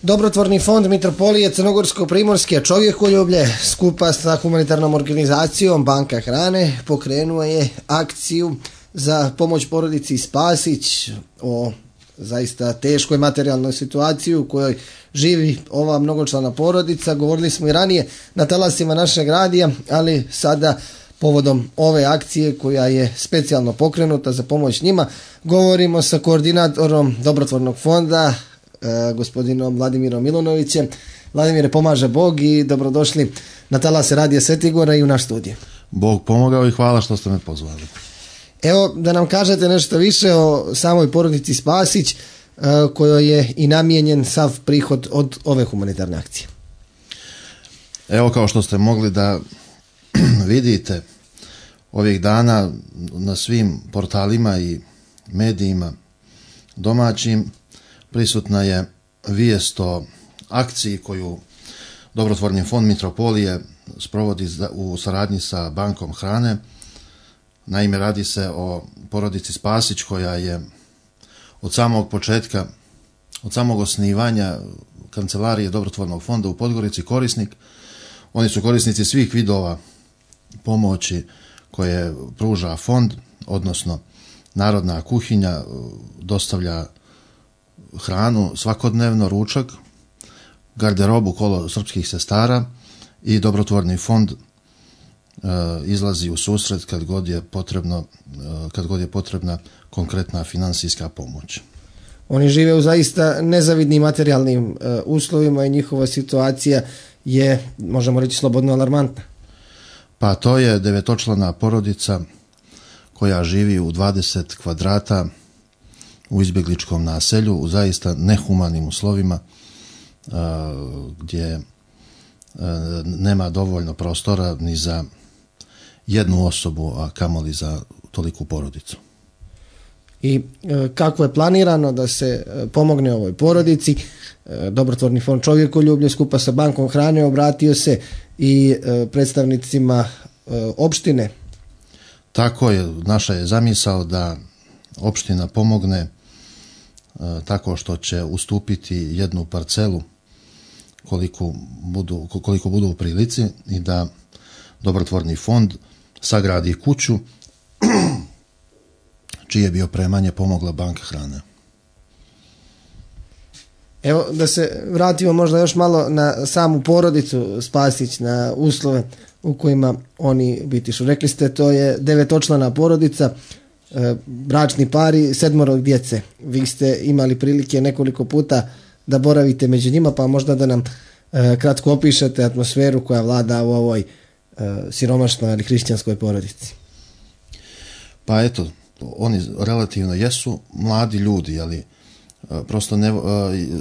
Dobrotvorni fond Mitropolije Crnogorsko-Primorske čovjekoljublje skupa sa humanitarnom organizacijom Banka hrane pokrenuo je akciju za pomoć porodici Spasić o zaista teškoj materijalnoj situaciji u kojoj živi ova mnogočlana porodica. Govorili smo i ranije na talasima našeg radija, ali sada povodom ove akcije koja je specijalno pokrenuta za pomoć njima govorimo sa koordinatorom Dobrotvornog fonda gospodinom Vladimirom Milunovićem. Vladimire, pomaže Bog i dobrodošli na talase radija Svetigora i u naš studij. Bog pomogao i hvala što ste me pozvali. Evo da nam kažete nešto više o samoj porodici Spasić kojoj je i namijenjen sav prihod od ove humanitarne akcije. Evo, kao što ste mogli da vidite ovih dana na svim portalima i medijima domaćim prisutna je vijest o akciji koju Dobrotvorni fond Mitropolije sprovodi u saradnji sa Bankom hrane. Naime, radi se o porodici Spasić koja je od samog početka, od samog osnivanja kancelarije Dobrotvornog fonda u Podgorici korisnik. Oni su korisnici svih vidova pomoći koje pruža fond, odnosno Narodna kuhinja dostavlja hranu svakodnevno, ručak, garderobu kolo srpskih sestara i Dobrotvorni fond izlazi u susret kad god je potrebna konkretna financijska pomoć. Oni žive u zaista nezavidnim materijalnim uslovima i njihova situacija je, možemo reći, slobodno alarmantna. Pa to je 9-člana porodica koja živi u 20 kvadrata u izbjegličkom naselju u zaista nehumanim uslovima gdje nema dovoljno prostora ni za jednu osobu, a kamoli za toliku porodicu. I kako je planirano da se pomogne ovoj porodici? Dobrotvorni fond čovjekoljublje skupa sa Bankom hrane obratio se i predstavnicima opštine. Tako je, naša je zamisao da opština pomogne tako što će ustupiti jednu parcelu koliko budu u prilici i da Dobrotvorni fond sagradi kuću čije bi opremanje pomogla Banka hrane. Evo da se vratimo možda još malo na samu porodicu Spasić, na uslove u kojima oni bitišu. Rekli ste, to je 9-člana porodica, bračni pari, 7 djece. Vi ste imali prilike nekoliko puta da boravite među njima, pa možda da nam kratko opišete atmosferu koja vlada u ovoj siromašnoj ali hrišćanskoj porodici. Pa eto, oni relativno jesu mladi ljudi, ali prosto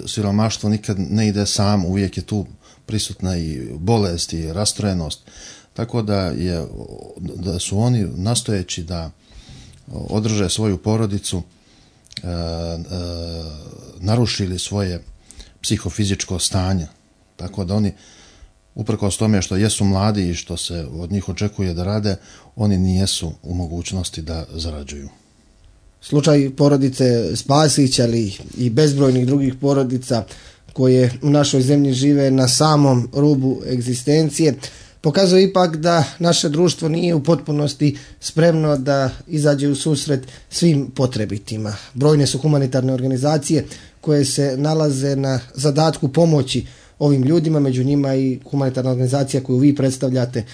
siromaštvo nikad ne ide sam, uvijek je tu prisutna i bolest i rastrojenost. Tako da su oni nastojeći da održe svoju porodicu narušili svoje psihofizičko stanje. Tako da oni, uprkos tome što jesu mladi i što se od njih očekuje da rade, oni nijesu u mogućnosti da zarađuju. Slučaj porodice Spasić, ali i bezbrojnih drugih porodica koje u našoj zemlji žive na samom rubu egzistencije pokazuje ipak da naše društvo nije u potpunosti spremno da izađe u susret svim potrebitima. Brojne su humanitarne organizacije koje se nalaze na zadatku pomoći ovim ljudima, među njima i humanitarna organizacija koju vi predstavljate,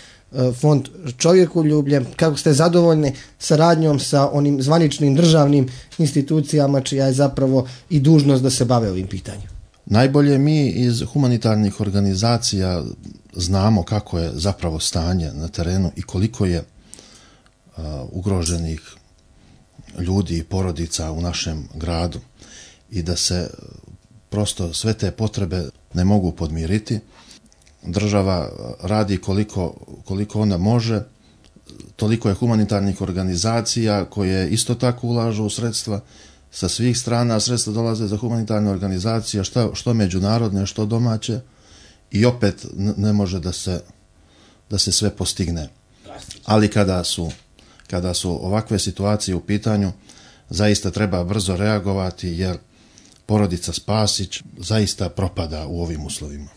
Fond čovjekoljublje. Kako ste zadovoljni saradnjom sa onim zvaničnim državnim institucijama čija je zapravo i dužnost da se bave ovim pitanjem? Najbolje mi iz humanitarnih organizacija znamo kako je zapravo stanje na terenu i koliko je ugroženih ljudi i porodica u našem gradu i da se prosto sve te potrebe ne mogu podmiriti. Država radi koliko ona može, toliko je humanitarnih organizacija koje isto tako ulažu u sredstva sa svih strana. Sredstva dolaze za humanitarne organizacije, što međunarodne, što domaće, i opet ne može da se sve postigne. Ali kada su ovakve situacije u pitanju, zaista treba brzo reagovati, jer porodica Spasić zaista propada u ovim uslovima.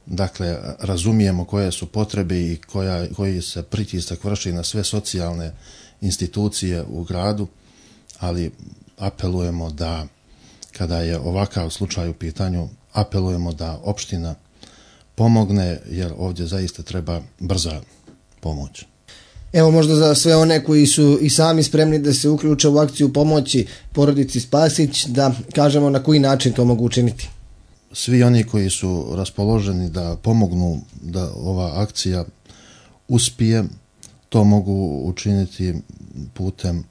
Dakle, razumijemo koje su potrebe i koji se pritisak vrši na sve socijalne institucije u gradu, ali apelujemo da, kada je ovakav slučaj u pitanju, apelujemo da opština pomogne, jer ovdje zaista treba brza pomoć. Evo, možda za sve one koji su i sami spremni da se uključe u akciju pomoći porodici Spasić, da kažemo na koji način to mogu učiniti. Svi oni koji su raspoloženi da pomognu da ova akcija uspije, to mogu učiniti putem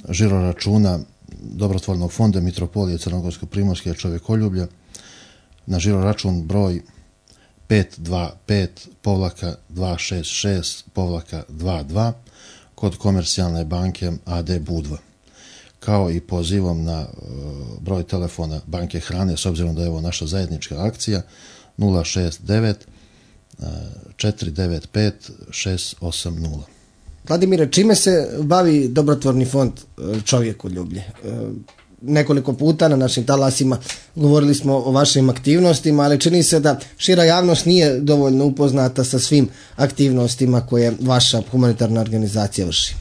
žiroračuna Dobrotvornog fonda Mitropolije Crnogorsko-primorske čovjekoljublja na žiroračun broj 525-266-22 kod Komercijalne banke AD Budva, kao i pozivom na broj telefona Banke Hrane, s obzirom da je ovo naša zajednička akcija, 069 495 680. Vladimire, čime se bavi Dobrotvorni fond Čovjekoljublje? Nekoliko puta na našim talasima govorili smo o vašim aktivnostima, ali čini se da šira javnost nije dovoljno upoznata sa svim aktivnostima koje vaša humanitarna organizacija vrši.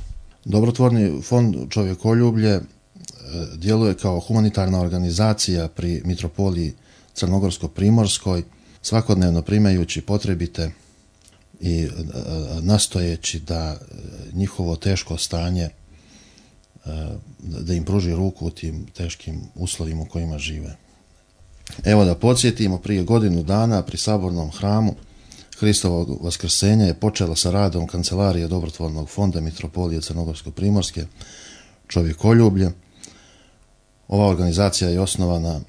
Dobrotvorni fond Čovjekoljublje djeluje kao humanitarna organizacija pri Mitropoliji Crnogorsko-primorskoj, svakodnevno primajući potrebite i nastojeći da njihovo teško stanje, da im pruži ruku u tim teškim uslovima u kojima žive. Evo da podsjetimo, prije godinu dana pri Sabornom hramu Hristovog vaskrsenja je počela sa radom Kancelarije Dobrotvornog fonda Mitropolije Crnogorsko-primorske Čovjekoljublje. Ova organizacija je osnovana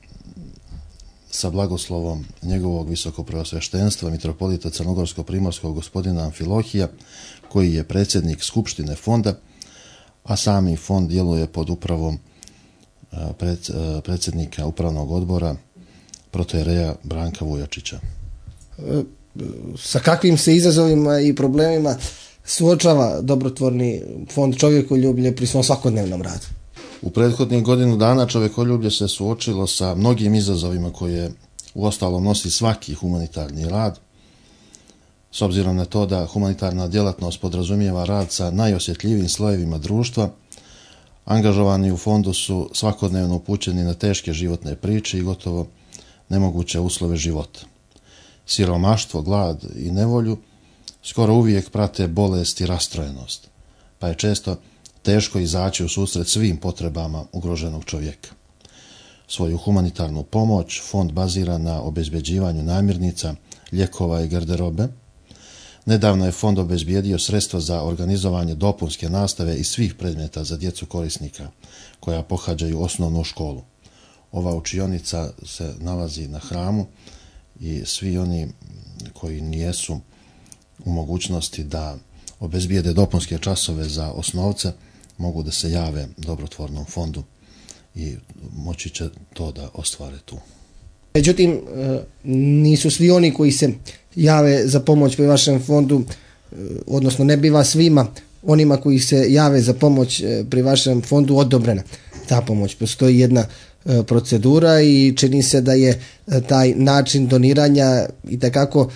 sa blagoslovom njegovog visokopreosveštenstva mitropolita Crnogorsko-primorskog gospodina Amfilohija, koji je predsjednik Skupštine fonda, a sami fond djeluje pod upravom predsjednika upravnog odbora protojereja Branka Vujačića. Sa kakvim se izazovima i problemima suočava Dobrotvorni fond Čovjekoljublje pri svom svakodnevnom radu? U prethodnih godinu dana Čovjekoljublje se suočilo sa mnogim izazovima koje uostalom nosi svaki humanitarni rad, s obzirom na to da humanitarna djelatnost podrazumijeva rad sa najosjetljivijim slojevima društva. Angažovani u fondu su svakodnevno upućeni na teške životne priče i gotovo nemoguće uslove života. Siromaštvo, glad i nevolju skoro uvijek prate bolest i rastrojenost, pa je često teško izaći u susret svim potrebama ugroženog čovjeka. Svoju humanitarnu pomoć fond bazira na obezbeđivanju namirnica, lijekova i garderobe. Nedavno je fond obezbijedio sredstva za organizovanje dopunske nastave i svih predmeta za djecu korisnika koja pohađaju osnovnu školu. Ova učionica se nalazi na hramu i svi oni koji nijesu u mogućnosti da obezbijede dopunske časove za osnovce mogu da se jave Dobrotvornom fondu i moći će to da ostvare tu. Međutim, nisu svi oni koji se jave za pomoć pri vašem fondu, odnosno ne biva svima onima koji se jave za pomoć pri vašem fondu odobrena ta pomoć. Postoji jedna procedura i čini se da je taj način doniranja itekako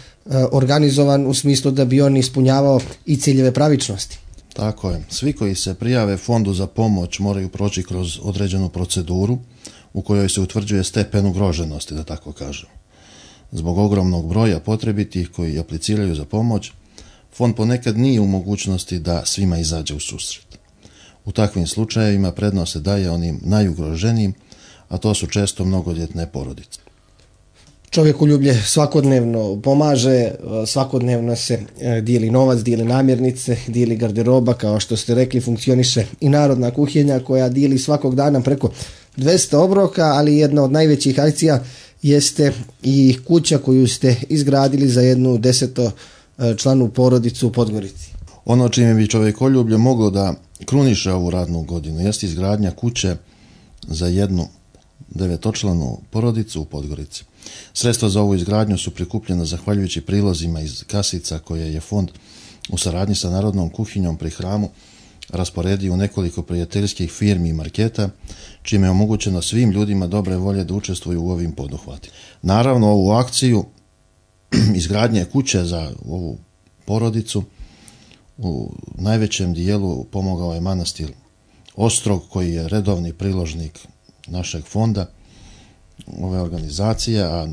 organizovan u smislu da bi on ispunjavao i ciljeve pravičnosti. Tako je. Svi koji se prijave fondu za pomoć moraju proći kroz određenu proceduru u kojoj se utvrđuje stepen ugroženosti, da tako kažem. Zbog ogromnog broja potrebitih koji apliciraju za pomoć, fond ponekad nije u mogućnosti da svima izađe u susret. U takvim slučajevima prednost se daje onim najugroženijim, a to su često mnogodjetne porodice. Čovjekoljublje svakodnevno pomaže, svakodnevno se dijeli novac, dijeli namirnice, dijeli garderoba, kao što ste rekli, funkcioniše i narodna kuhinja koja dijeli svakog dana preko 200 obroka, ali jedna od najvećih akcija jeste i kuća koju ste izgradili za jednu 10-članu porodicu u Podgorici. Ono čime bi Čovjekoljublje moglo da kruniše ovu radnu godinu jeste izgradnja kuće za jednu 9-članu porodicu u Podgorici. Sredstva za ovu izgradnju su prikupljena zahvaljujući prilozima iz kasica koje je fond u saradnji sa Narodnom kuhinjom pri hramu rasporedio u nekoliko prijateljskih firmi i marketa, čime je omogućeno svim ljudima dobre volje da učestvuju u ovim poduhvatima. Naravno, ovu akciju izgradnje kuće za ovu porodicu u najvećem dijelu pomogao je manastir Ostrog, koji je redovni priložnik našeg fonda, ove organizacije, a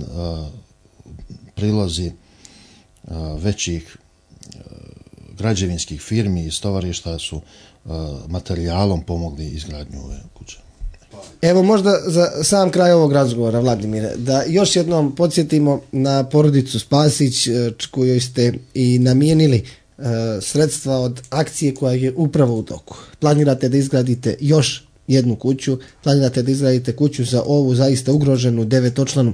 prilozi većih građevinskih firmi i stovarišta su materijalom pomogli izgradnju ove kuće. Evo možda za sam kraj ovog razgovora, Vladimire, da još jednom podsjetimo na porodicu Spasić kojoj ste i namijenili sredstva od akcije koja je upravo u toku. Planirate da izgradite još jednu kuću, planirate da izgradite kuću za ovu zaista ugroženu 9-članu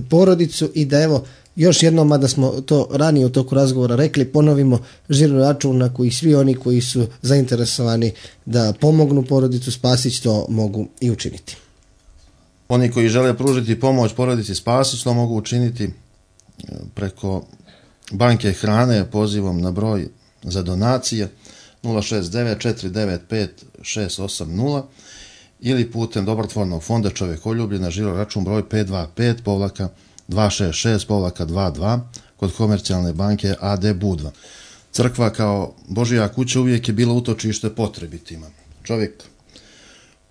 porodicu i da evo još jednom, mada smo to ranije u toku razgovora rekli, ponovimo žiro račun na koji svi oni koji su zainteresovani da pomognu porodicu Spasić to mogu i učiniti. Oni koji žele pružiti pomoć porodici Spasić to mogu učiniti preko banke hrane pozivom na broj za donacije 069-495-680 ili putem dobrotvornog fonda Čovjekoljublje na žiro račun broj 525-266-22 kod komercijalne banke AD Budva. Crkva kao Božja kuća uvijek je bila utočište potrebitima. Čovjek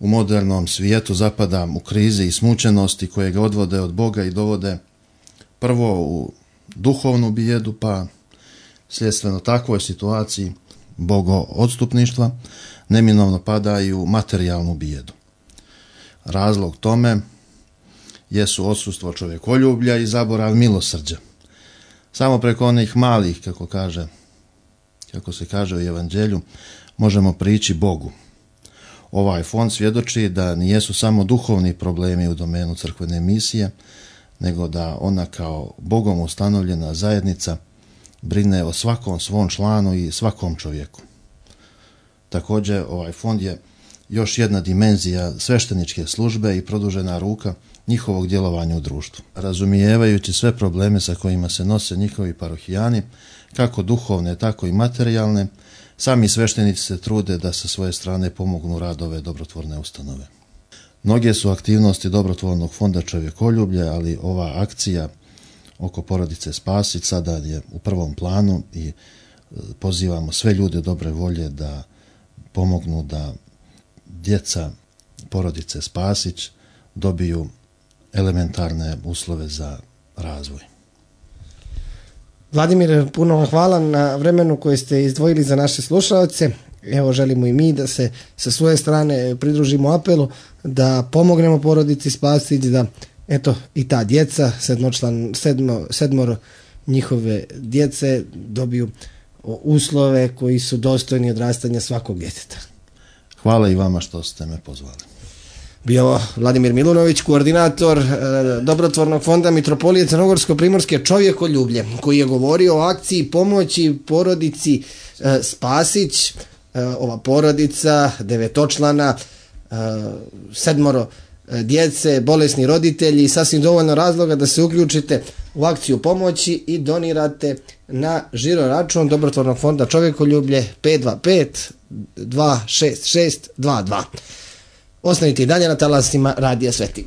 u modernom svijetu zapada u krize i smučenosti koje ga odvode od Boga i dovode prvo u duhovnu bijedu, pa sljedstveno takvoj situaciji bogoodstupništva neminovno pada i u materijalnu bijedu. Razlog tome jesu odsustvo čovjekoljublja i zaborav milosrđa. Samo preko onih malih, kako se kaže u Evanđelju, možemo prići Bogu. Ovaj fond svjedoči da nijesu samo duhovni problemi u domenu crkvene misije, nego da ona kao Bogom ustanovljena zajednica brine o svakom svom članu i svakom čovjeku. Također, ovaj fond je još jedna dimenzija svešteničke službe i produžena ruka njihovog djelovanja u društvu. Razumijevajući sve probleme sa kojima se nose njihovi parohijani, kako duhovne, tako i materijalne, sami sveštenici se trude da sa svoje strane pomognu rad ove dobrotvorne ustanove. Mnoge su aktivnosti dobrotvornog fonda Čovjekoljublje, ali ova akcija oko porodice Spasić sada je u prvom planu i pozivamo sve ljude dobre volje da pomognu da djeca porodice Spasić dobiju elementarne uslove za razvoj. Vladimir, puno vam hvala na vremenu koje ste izdvojili za naše slušalce. Evo, želimo i mi da se sa svoje strane pridružimo apelu da pomognemo porodici Spasić, da eto i ta djeca, sedmoro njihove djece dobiju uslove koji su dostojni odrastanja svakog djeteta. Hvala i vama što ste me pozvali. Bio Vladimir Milunović, koordinator dobrotvornog fonda Mitropolije Crnogorsko-primorske Čovjekoljublje, koji je govorio o akciji pomoći porodici Spasić. Ova porodica 9-člana, 7 djece, bolesni roditelji, sasvim dovoljno razloga da se uključite u akciju pomoći i donirate na žiro račun dobrotvornog fonda Čovjekoljublje 525-266-22. Ostanite i dalje na talasima Radija Sveti.